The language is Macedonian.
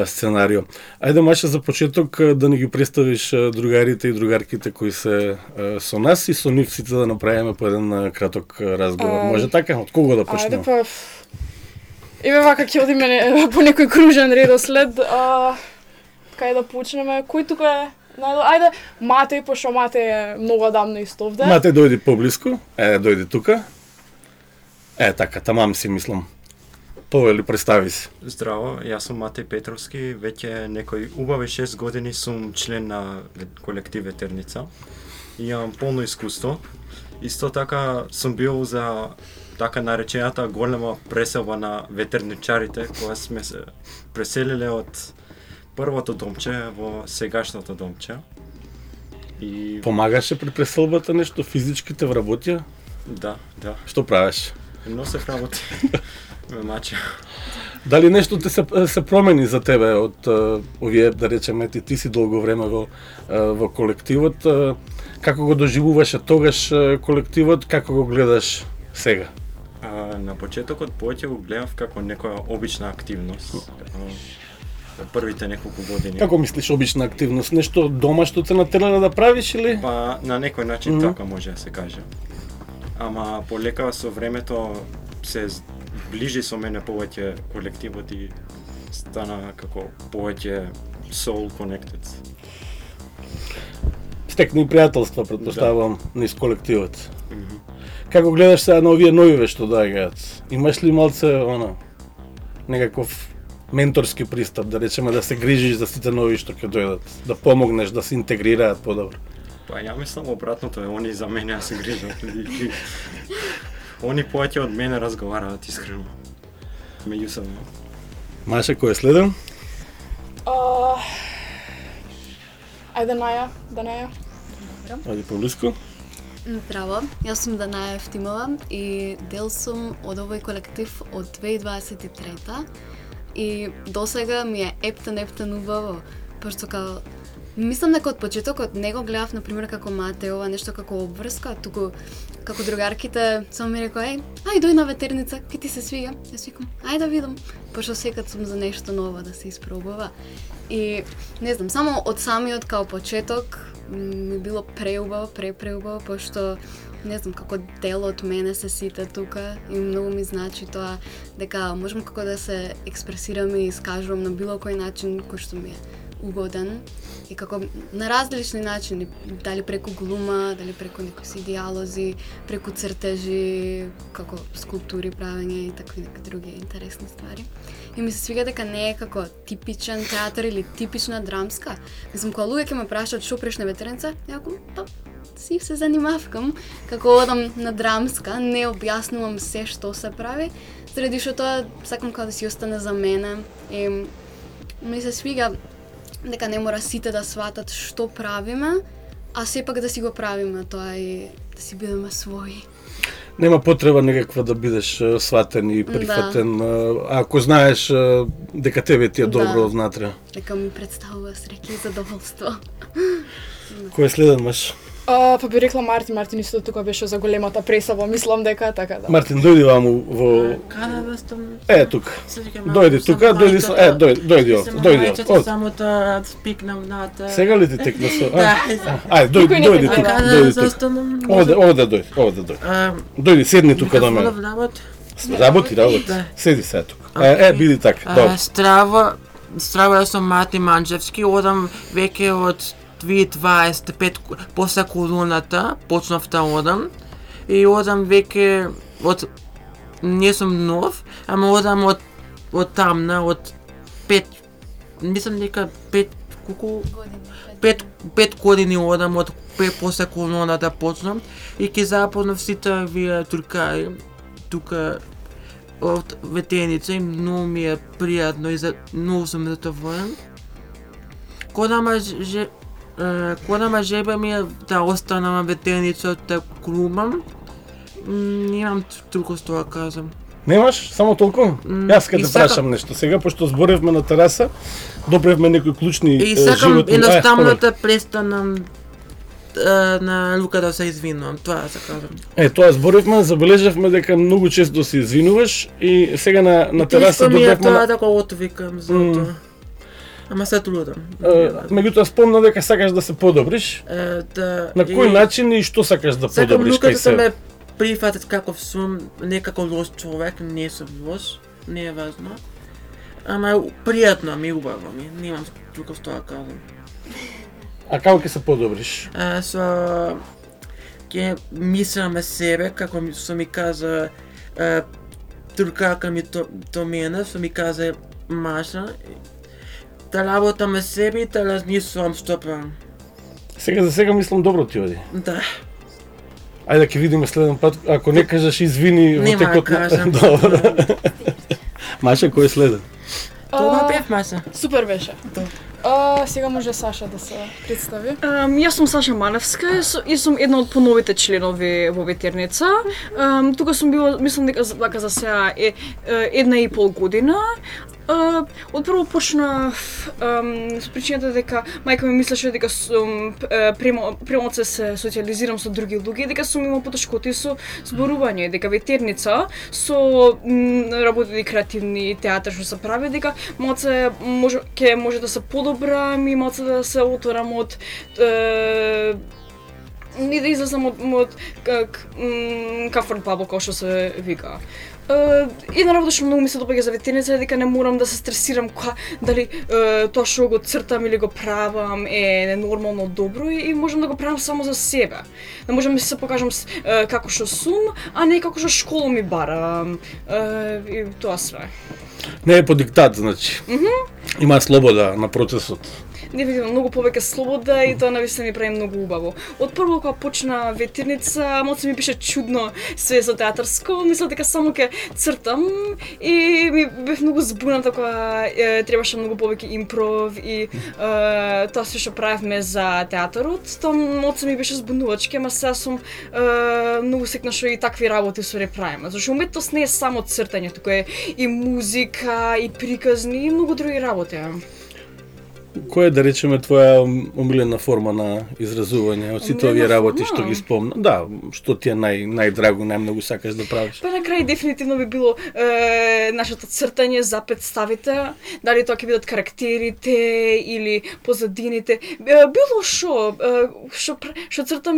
сценарио. Ајде, Маша, за почеток да ни ги представиш другарите и другарките кои се со нас и со нив сите да направиме по еден краток разговор. Може така? Од кого да почнеме? Ајде па... Еве вака ќе одиме по некој кружен редослед. Кај да почнеме? Кој тука е? Ајде, Матеј, пошто Матеј е многу одамна исто овде. Матеј, дојди поблиску. Дојди тука. Така, тамам си мислам. Повели, представи се. Здраво, јас сум Матеј Петровски, веќе некои убави 6 години сум член на колектив Ветерница. Имам полно искуство. Исто така сум бил за така наречената голема преселба на ветерничарите, кога сме се преселиле од првото домче во сегашното домче. И помагаше при преселбата нешто, физички те вработија? Да. Што правиш? Носев работи. Ме мача. Дали нешто се промени за тебе од овие, да речеме, ти си долго време во колективот, како го доживуваше тогаш колективот, како го гледаш сега? На почетокот повеќе го гледав како некоја обична активност. Првите неколку години. Како мислиш обична активност? Нешто дома што те натерна да правиш или? Па на некој начин така може да се каже. Ама полека со времето се ближи со мене повеќе колективот и стана како повеќе soul connected. Стекни пријателства, претпоставувам, низ колективот. Како гледаш сега на овие новиве што доаѓаат? Имаш ли малце некаков менторски пристап, да речеме да се грижиш за сите нови што ќе дојдат, да помогнеш да се интегрираат подобро? Па ја мислам обратното е, они за мене се грижат. Они повеќе од мене разговараат искрено. Меѓусебно. Маша, кој е следен? Ајде Наја, Данаја. Ајде поблиску. Здраво, јас сум Данаја Ефтимова и дел сум од овој колектив од 2023-та и досега ми е ептен убаво, пошто као мислам дека од почетокот не го гледав, например, како Матеова, нешто како обврска, туку како другарките само ми рекоа, ај дој на Ветерница, ке ти се свига. Јас викам, ај да видам, пошто секад сум за нешто ново да се испробува. И не знам, само од самиот као почеток ми било преубаво, пошто не знам, како дел од мене се сите тука и многу ми значи тоа дека можам како да се експресирам и искажувам на било кој начин кој што ми е угоден и како на различни начини, дали преку глума, дали преку некои си диалози, преку цртежи, како скулптури правење и такви некои други интересни ствари. И ми се свига дека не е како типичен театар или типична драмска. Мислам, кога луѓе ќе ме прашаат што преш на Ветерница, јако си се занимавкам како одам на драмска, не објаснувам се што се прави, заради што тоа сакам како да си остане за мене и ми се свига дека не мора сите да сватат што правиме, а сепак да си го правиме тоа и да си бидеме своји. Нема потреба некаква да бидеш сватен и прифатен, ако знаеш дека тебе ти е добро однатре. Дека ми представува среќа и задоволство. Кој е следен, Маш? Па би рекла Мартин исто тука беше за големата пресава, мислам дека така да. Мартин, дојди ваму во... Каде да стам? Тука. Дојди тука, дојди овде. Само да спикнам нате. Сега ли ти текна со? Да. Дојди тука. Каде да застанам? Овде дојди. Дојди, седни тука до мене. Работи. Седи сега тука. Биди така. Добро. Здраво, јас сум Мати Манџевски, одам веќе од 2025 после колоната, почнав да одам и одам веќе од не сум нов, ама одам од тамна, од 5, мислам дека 5 години одам од после колоната почнам и ќе запознав сите вие туркари тука од Ветерница и многу ми е пријатно и многу сум задоволен. Кога ма жеба ми е да останам на Ветерница да глумам, немам толку што да кажам. Немаш? Само толку? Јас ке те прашам нешто сега, пошто зборевме на тераса, добревме некои клучни животни. И сакам едноставно да престанам на Лука да се извинувам, тоа да се кажам. Тоа зборевме, забележавме дека многу често се извинуваш и сега на тераса добревме... добревме... Тоа да го отвикам за тоа. Ама се трудам. Меѓутоа спомна дека сакаш да се подобриш. Да, На кој начин и што сакаш да подобриш кај Сакам себе? ме прифатат каков сум, не како лош човек, не сум лош, не е важно. Ама пријатно ми, убаво ми, немам друго што да кажам. А како ќе се подобриш? Ќе мислам на себе, како што ми кажа туркака ми до мене, што ми кажа Маша, да работам на себе и да размислувам што правам. Сега за сега мислам добро ти оди. Да. Ајде ќе видиме следен пат, ако не кажеш извини во Нема да текот кажам. Добро. Маша, кој е следен? Тоа бев, Маша. Супер беше. Сега може Саша да се представи. Јас сум Саша Маневска и сум една од поновите членови во ветерница. Тука сум била, мислам дека за сега е 1,5 година. Од прво почнав с причината дека мајка ми мислеше дека сум премалку се социализирам со други луѓе, дека сум имал потешкоти со зборување, дека ветерница со работи креативни театар што се прави, дека малце може да се подобрам и малце да се отворам од и да излезам од comfort bubble, како што се вика. Една работа што многу ми се допаѓа за ветерница е дека не морам да се стресирам дали тоа што го цртам или го правам е нормално добро и можам да го правам само за себе. Да можам да се покажам како што сум, а не како што школа ми бара. И тоа све. Не е по диктат, значи. Има слобода на процесот. Дефинитивно многу повеќе слобода и тоа навистина ми прави многу убаво. Од прво кога почна ветерница, малце ми беше чудно све за театарско, мислев дека само ќе цртам и ми бев многу збуната кога требаше многу повеќе импров и тоа се што правевме за театарот. Тоа малце ми беше збунувачки, ама сега сум многу секна што и такви работи се правиме. Зашто уметност не е само цртање, туку е и музика, и приказни, и многу други работи. Која е, да речеме, твоја омилена форма на изразување од сите овие работи што ги спомна? Да, што ти е најдраго, најмногу сакаш да правиш? Па на крај дефинитивно би било нашето цртање за представите, дали тоа ќе бидат карактерите или позадините, било што цртам